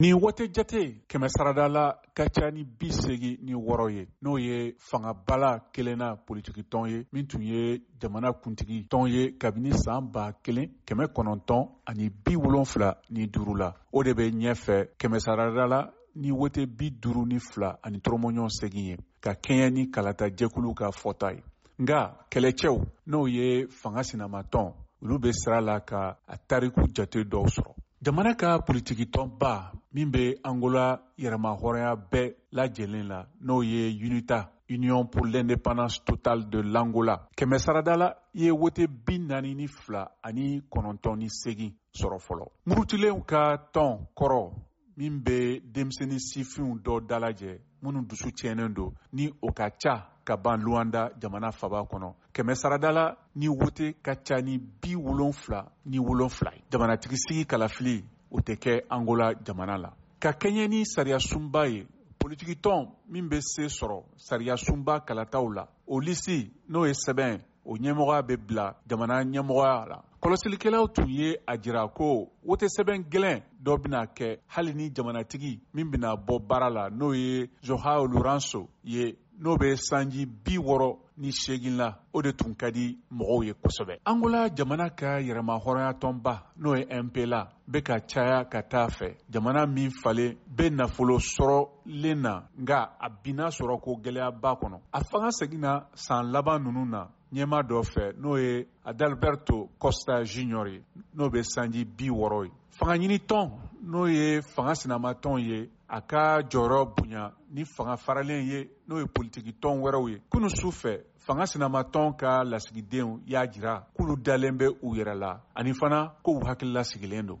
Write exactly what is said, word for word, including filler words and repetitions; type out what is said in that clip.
Nin wote jate kɛmɛ sarada la ka ca ni bi seegin ni wɔɔrɔ ye, n'o ye fangabala kelenna politikitɔn ye min tun ye jamana kuntigi tɔn ye kabini san ba kelen kɛmɛ kɔnɔntɔn ani bi wolonfila ni duuru la. O de bɛ ɲɛfɛ kɛmɛ sarada la ni wote bi duuru ni fila ani tɔrɔmɔɲɔgɔn segin ye, ka kɛɲɛ ni kalata jɛkulu ka fɔta ye. Nka kɛlɛcɛw, n'o ye fanga sinamatɔn, olu bɛ sira la ka a tariku jate dɔw sɔrɔ. Jamana ka politikitɔnba min bɛ Angola yɛrɛmahɔrɔnya bɛɛ lajɛlen la, n'o ye UNITA, Union pour l'indépendance totale de l'Angola, kɛmɛ sarada la ye wote bi naani ni fila ani kɔnɔntɔn ni segin sɔrɔ fɔlɔ. Murutilenw ka tɔn kɔrɔ min bɛ denmisɛnnin sifinw dɔ dalajɛ minnu dusu tiɲɛnen don, ni o ka ca ka ban Luanda jamana faba kɔnɔ, kɛmɛ sarada la ni wote ka ca ni bi wolonfila ni wolonfila ye. Jamanatigi sigi kalafili, o tɛ kɛ Angola jamana la. Ka kɛɲɛ ni sariya sunba ye, politikitɔn min bɛ se sɔrɔ sariya sunba kalataw la, o lisi, n'o ye sɛbɛn, o ɲɛmɔgɔya bɛ bila jamana ɲɛmɔgɔya la. Kɔlɔsilikɛlaw tun ye a jira ko wote sɛbɛn gɛlɛn dɔ bɛna kɛ, hali ni jamanatigi min bɛna bɔ baara la, n'o ye Joao Lourenço ye, n'o bɛ sanji bi wɔɔrɔ ni seegin la, o de tun ka di mɔgɔw ye kosɛbɛ. Angola jamana ka yɛrɛmahɔrɔnya tɔnba, n'o ye M P L A, bɛ ka caya ka taa fɛ, jamana min falen bɛ nafolo sɔrɔlen na, nka a binna sɔrɔ ko gɛlɛyaba kɔnɔ. A fanga seginna san laban ninnu na ɲɛma dɔ fɛ, n'o ye Adalberto Costa Junior ye, n'o bɛ sanji bi wɔɔrɔ ye. Fanga ɲinitɔn, n'o ye fanga sinamatɔn ye, a ka jɔyɔrɔ bonya ni fanga faralen ye, n'o ye politikitɔn wɛrɛw ye. Kunun su fɛ, fanga sinamatɔn ka lasigidenw y'a jira k'olu dalen bɛ u yɛrɛ la, ani fana k'u hakilila sigilen don.